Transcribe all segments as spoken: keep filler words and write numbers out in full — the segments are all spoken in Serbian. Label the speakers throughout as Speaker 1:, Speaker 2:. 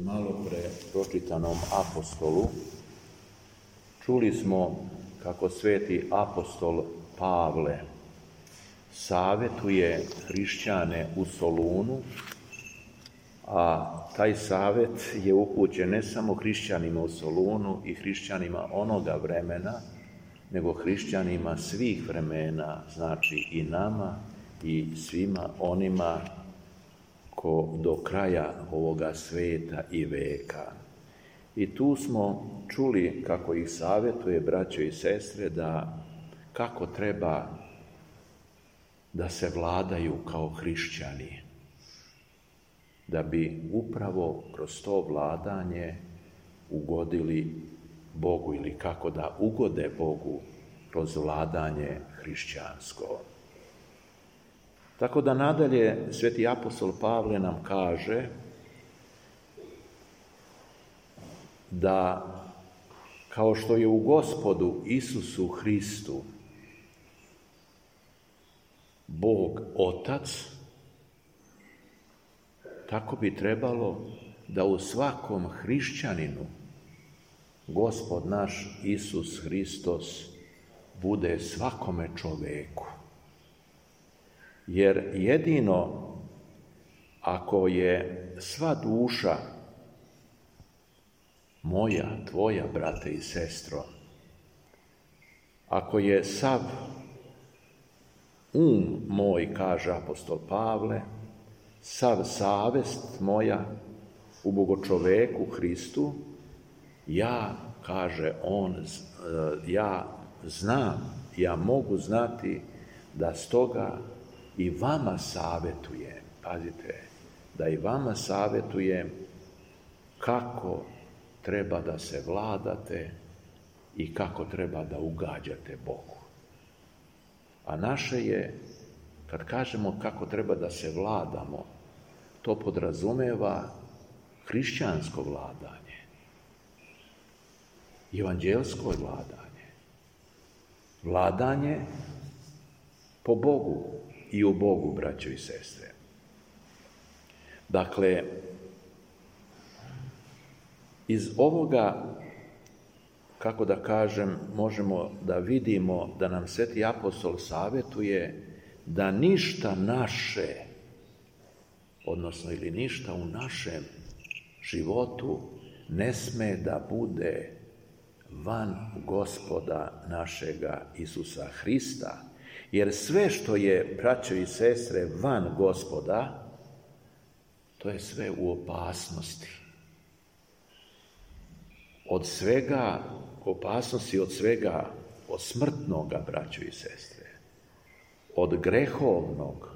Speaker 1: malo pre pročitanom apostolu čuli smo kako sveti apostol Pavle savjetuje hrišćane u Solunu, a taj savjet je upućen ne samo hrišćanima u Solunu i hrišćanima onoga vremena, nego hrišćanima svih vremena, znači i nama i svima onima ko do kraja ovoga sveta i veka. I tu smo čuli kako ih savjetuje, braćo i sestre, da kako treba da se vladaju kao hrišćani, da bi upravo kroz to vladanje ugodili Bogu ili kako da ugode Bogu kroz vladanje hrišćansko. Tako da nadalje sveti apostol Pavle nam kaže da kao što je u Gospodu Isusu Hristu Bog Otac, tako bi trebalo da u svakom hrišćaninu Gospod naš Isus Hristos bude svakome čoveku. Jer jedino ako je sva duša moja, tvoja, brate i sestro, ako je sav um moj, kaže apostol Pavle, sav savest moja u Bogočoveku Hristu, ja, kaže on, ja znam, ja mogu znati da stoga i vama savjetujem, pazite, da i vama savjetujem kako treba da se vladate i kako treba da ugađate Bogu. A naše je, kad kažemo kako treba da se vladamo, to podrazumeva hrišćansko vladanje, evanđelsko vladanje, vladanje po Bogu i u Bogu, braćo i sestre. Dakle, iz ovoga, kako da kažem, možemo da vidimo da nam sveti apostol savjetuje da ništa naše, odnosno ili ništa u našem životu ne sme da bude van Gospoda našega Isusa Hrista. Jer sve što je, braćo i sestre, van Gospoda, to je sve u opasnosti. Od svega, opasnosti od svega, od smrtnoga, braćo i sestre, od grehovnog,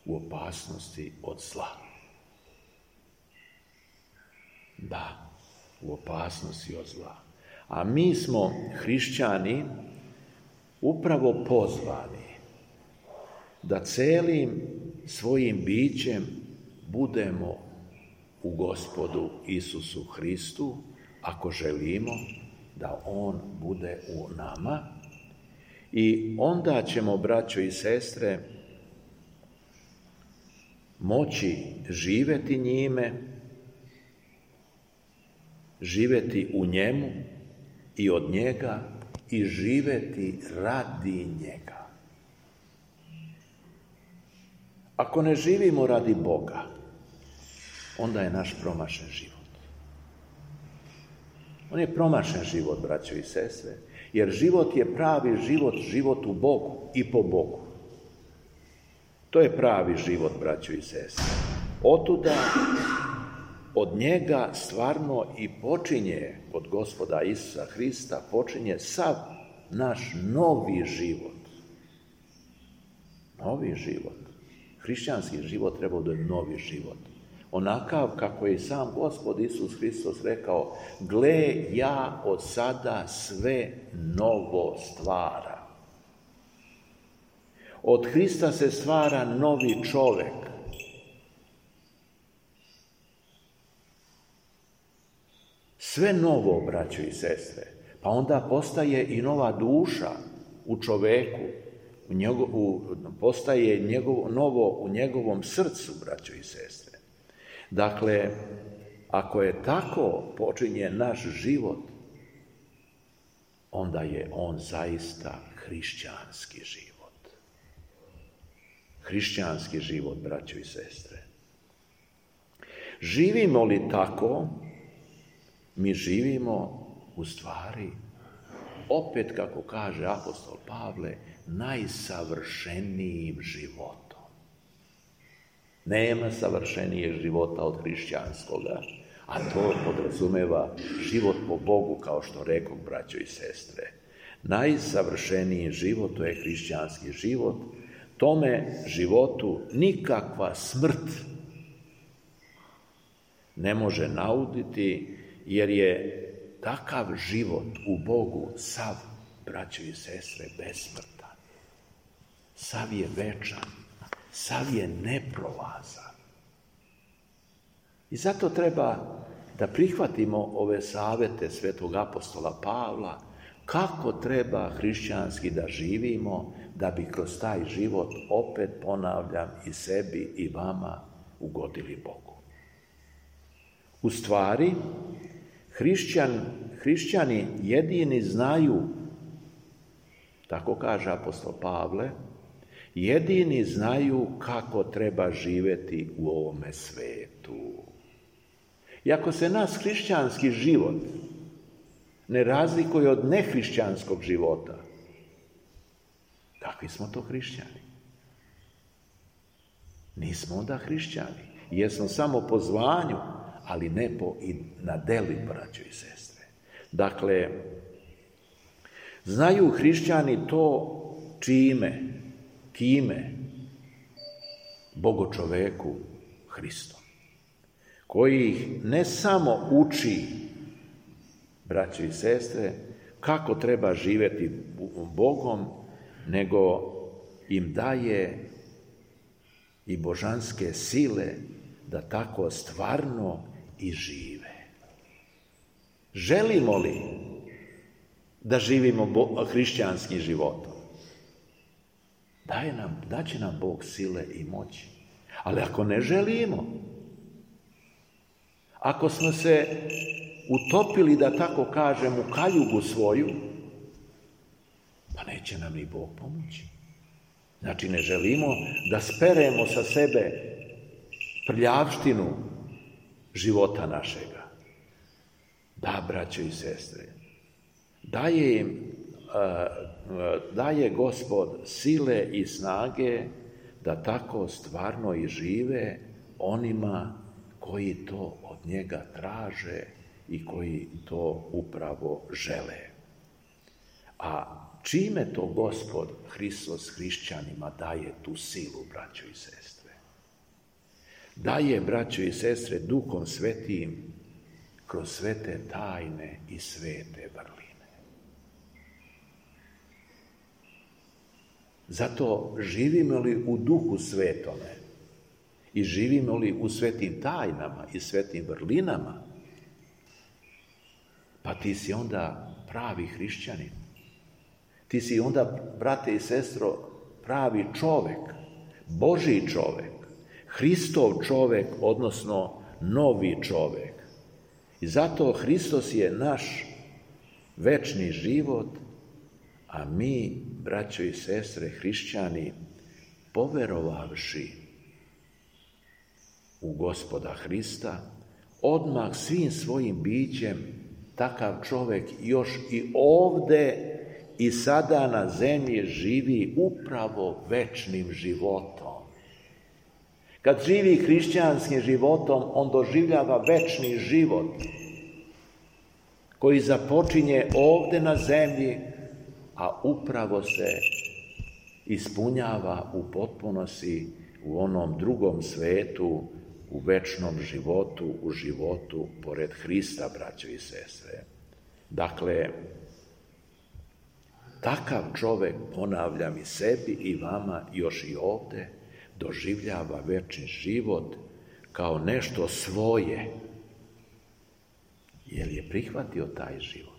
Speaker 1: u opasnosti od zla. Da, u opasnosti od zla. A mi smo, hrišćani, upravo pozvani da celim svojim bićem budemo u Gospodu Isusu Hristu, ako želimo da On bude u nama, i onda ćemo, braćo i sestre, moći živjeti njime, živjeti u njemu i od njega i živjeti radi njega. Ako ne živimo radi Boga, onda je naš promašen život. On je promašen život, braćo i sestre, jer život je pravi život, život u Bogu i po Bogu. To je pravi život, braćo i sestre. Otuda od njega stvarno i počinje, od Gospoda Isusa Hrista, počinje sav naš novi život. Novi život. Hrišćanski život treba da je novi život. Onakav kako je sam Gospod Isus Hristos rekao, gle, ja od sada sve novo stvara. Od Hrista se stvara novi čovek. Sve novo, braćo i sestre. Pa onda postaje i nova duša u čoveku, u njegov, u, postaje njegov, novo u njegovom srcu, braćo i sestre. Dakle, ako je tako počinje naš život, onda je on zaista hrišćanski život. Hrišćanski život, braćo i sestre. Živimo li tako, mi živimo u stvari, opet kako kaže apostol Pavle, najsavršenijim životom. Nema savršenijeg života od hrišćanskoga, a to podrazumeva život po Bogu, kao što rekao, braćo i sestre. Najsavršeniji život, to je hrišćanski život. Tome životu nikakva smrt ne može nauditi, jer je takav život u Bogu sav, braćo i sestre, besmrtan. Sav je večan, sav je neprolazan. I zato treba da prihvatimo ove savete svetog apostola Pavla, kako treba hrišćanski da živimo, da bi kroz taj život, opet ponavljam, i sebi i vama ugodili Bogu. U stvari, hrišćan, hrišćani jedini znaju, tako kaže apostol Pavle, jedini znaju kako treba živjeti u ovome svetu. I ako se nas hrišćanski život ne razlikuje od nehrišćanskog života, kakvi smo to hrišćani? Nismo onda hrišćani. Jesmo samo po zvanju, ali ne po i na deli, braćo i sestre. Dakle, znaju hrišćani to čime, kime? Bogočoveku Hristom, koji ih ne samo uči, braćo i sestre, kako treba živjeti Bogom, nego im daje i božanske sile da tako stvarno i žive. Želimo li da živimo hrišćanskim životom? Daje nam, daće nam Bog sile i moći. Ali ako ne želimo, ako smo se utopili, da tako kažem, u kaljugu svoju, pa neće nam ni Bog pomoći. Znači, ne želimo da speremo sa sebe prljavštinu života našega. Da, braćo i sestre, daje im, daje Gospod sile i snage da tako stvarno i žive onima koji to od njega traže i koji to upravo žele. A čime to Gospod Hristos hrišćanima daje tu silu, braćo i sestre? Daje, braćo i sestre, Duhom Svetim kroz svete tajne i svete vrline. Zato živimo li u Duhu Svetome i živimo li u svetim tajnama i svetim vrlinama, pa ti si onda pravi hrišćanin. Ti si onda, brate i sestro, pravi čovek, Božji čovek, Hristov čovek, odnosno novi čovek. I zato Hristos je naš večni život, a mi, braćo i sestre, hrišćani, poverovavši u Gospoda Hrista, odmah svim svojim bićem takav čovek još i ovde i sada na zemlji živi upravo večnim životom. Kad živi hrišćanskim životom, on doživljava večni život koji započinje ovde na zemlji, a upravo se ispunjava u potpunosti u onom drugom svetu, u večnom životu, u životu pored Hrista, braćo i sestre. Dakle, takav čovek, ponavljam i sebi i vama još i ovde, doživljava večni život kao nešto svoje, jer je prihvatio taj život.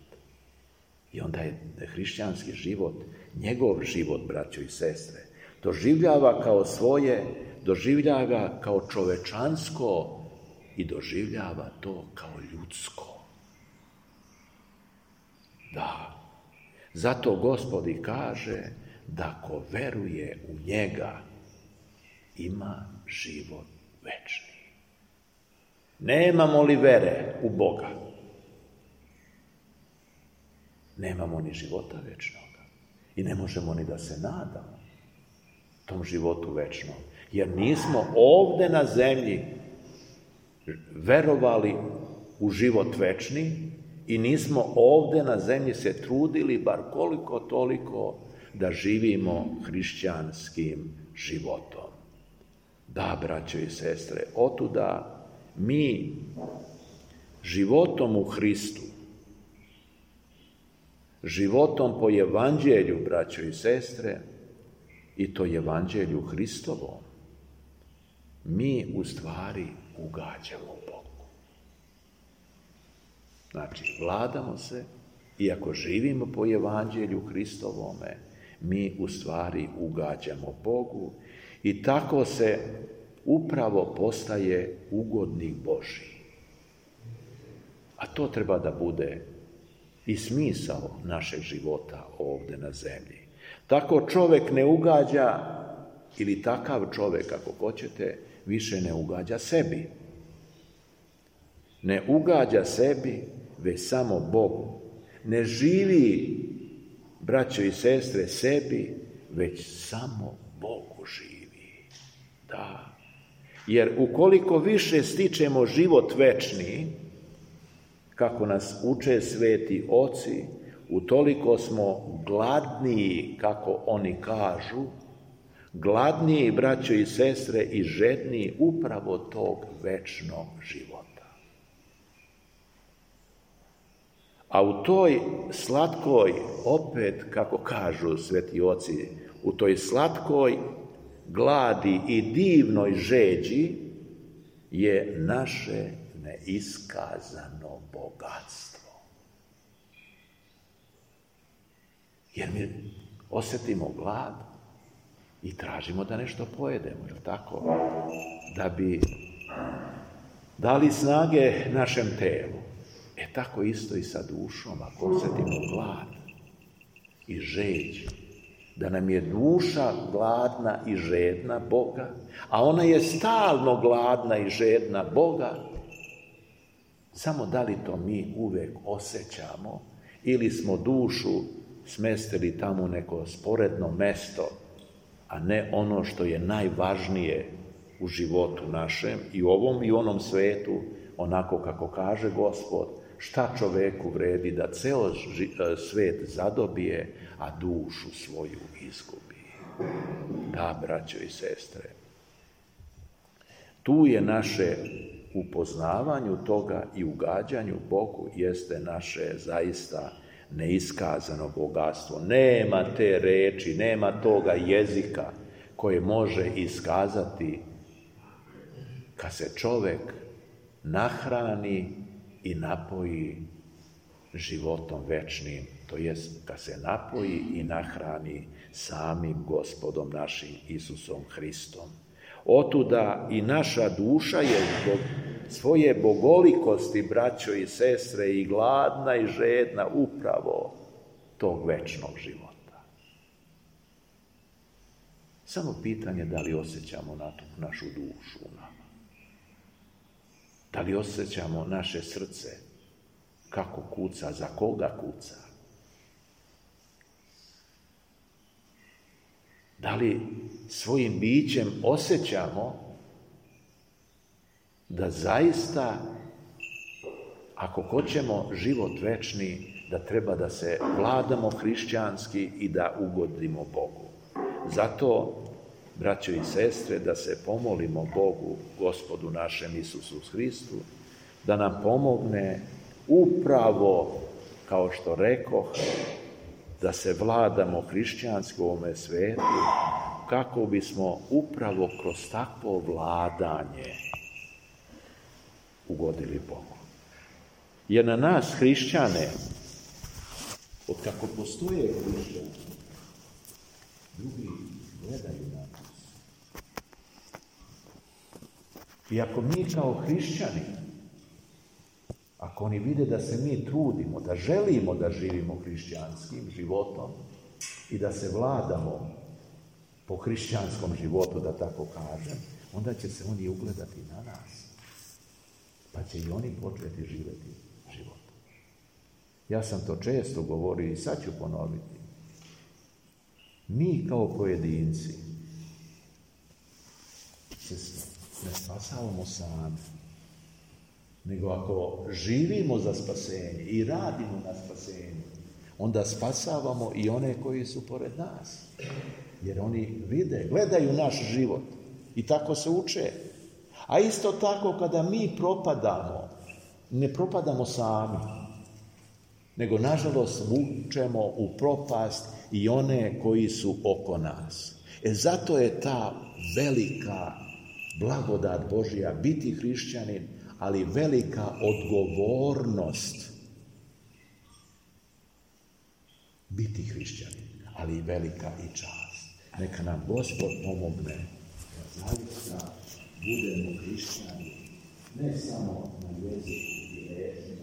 Speaker 1: I onda je hrišćanski život, njegov život, braćo i sestre, doživljava kao svoje, doživljava kao čovečansko i doživljava to kao ljudsko. Da, zato Gospod i kaže da ko veruje u njega ima život večni. Nemamo li vere u Boga? Nemamo ni života večnoga. I ne možemo ni da se nadamo tom životu večnom. Jer nismo ovde na zemlji verovali u život večni i nismo ovde na zemlji se trudili bar koliko toliko da živimo hrišćanskim životom. Da, braćo i sestre, otuda mi životom u Hristu, životom po evanđelju, braćo i sestre, i to evanđelju Hristovom, mi u stvari ugađamo Bogu. Znači, vladamo se, iako živimo po evanđelju Hristovome, mi u stvari ugađamo Bogu i tako se upravo postaje ugodnik Božji. A to treba da bude i smisao našeg života ovde na zemlji. Tako čovjek ne ugađa, ili takav čovjek, ako hoćete, više ne ugađa sebi. Ne ugađa sebi, već samo Bogu. Ne živi, braćo i sestre, sebi, već samo Bogu živi. Da. Jer ukoliko više stičemo život večni, kako nas uče sveti oci, utoliko smo gladniji, kako oni kažu, gladniji, braćo i sestre, i žedniji upravo tog večnog života. A u toj slatkoj, opet, kako kažu sveti oci, u toj slatkoj gladi i divnoj žeđi je naše neiskazano bogatstvo. Jer mi osjetimo glad i tražimo da nešto pojedemo, je li tako? Da bi dali snage našem telu. E tako isto i sa dušom, ako osjetimo glad i žeđ, da nam je duša gladna i žedna Boga, a ona je stalno gladna i žedna Boga, samo da li to mi uvek osjećamo ili smo dušu smestili tamo u neko sporedno mesto, a ne ono što je najvažnije u životu našem i u ovom i u onom svetu, onako kako kaže Gospod, šta čoveku vredi da ceo svet zadobije, a dušu svoju izgubi. Da, braćo i sestre, tu je naše upoznavanju toga i ugađanju Bogu jeste naše zaista neiskazano bogatstvo. Nema te reči, nema toga jezika koje može iskazati kad se čovek nahrani i napoji životom večnim, to jest kad se napoji i nahrani samim Gospodom našim Isusom Hristom. Otuda i naša duša je zbog svoje bogolikosti, braćo i sestre, i gladna i žedna upravo tog večnog života. Samo pitanje da li osjećamo na tu našu dušu u nama. Da li osjećamo naše srce kako kuca, za koga kuca? Da li svojim bićem osjećamo da zaista, ako hoćemo život večni, da treba da se vladamo hrišćanski i da ugodimo Bogu. Zato, braćo i sestre, da se pomolimo Bogu, Gospodu našem Isusu Hristu, da nam pomogne upravo, kao što rekoh, da se vladamo hrišćanski u ovome svetu, kako bismo upravo kroz takvo vladanje ugodili Bogu. Jer na nas, hrišćane, od kako postoje hrišćani, drugi gledaju na nas. I ako mi kao hrišćani, ako oni vide da se mi trudimo, da želimo da živimo hrišćanskim životom i da se vladamo po hrišćanskom životu, da tako kažem, onda će se oni ugledati na nas. Pa će i oni početi živjeti život. Ja sam to često govorio i sad ću ponoviti. Mi kao pojedinci se ne spasavamo sami, nego ako živimo za spasenje i radimo na spasenju, onda spasavamo i one koji su pored nas. Jer oni vide, gledaju naš život i tako se uče. A isto tako kada mi propadamo, ne propadamo sami, nego nažalost vučemo u propast i one koji su oko nas. E zato je ta velika blagodat Božja biti hrišćanin, ali velika odgovornost biti hrišćanin, ali i velika i čast. Neka nam Gospod pomogne da zaista budemo hrišćani, ne samo na jeziku i reči,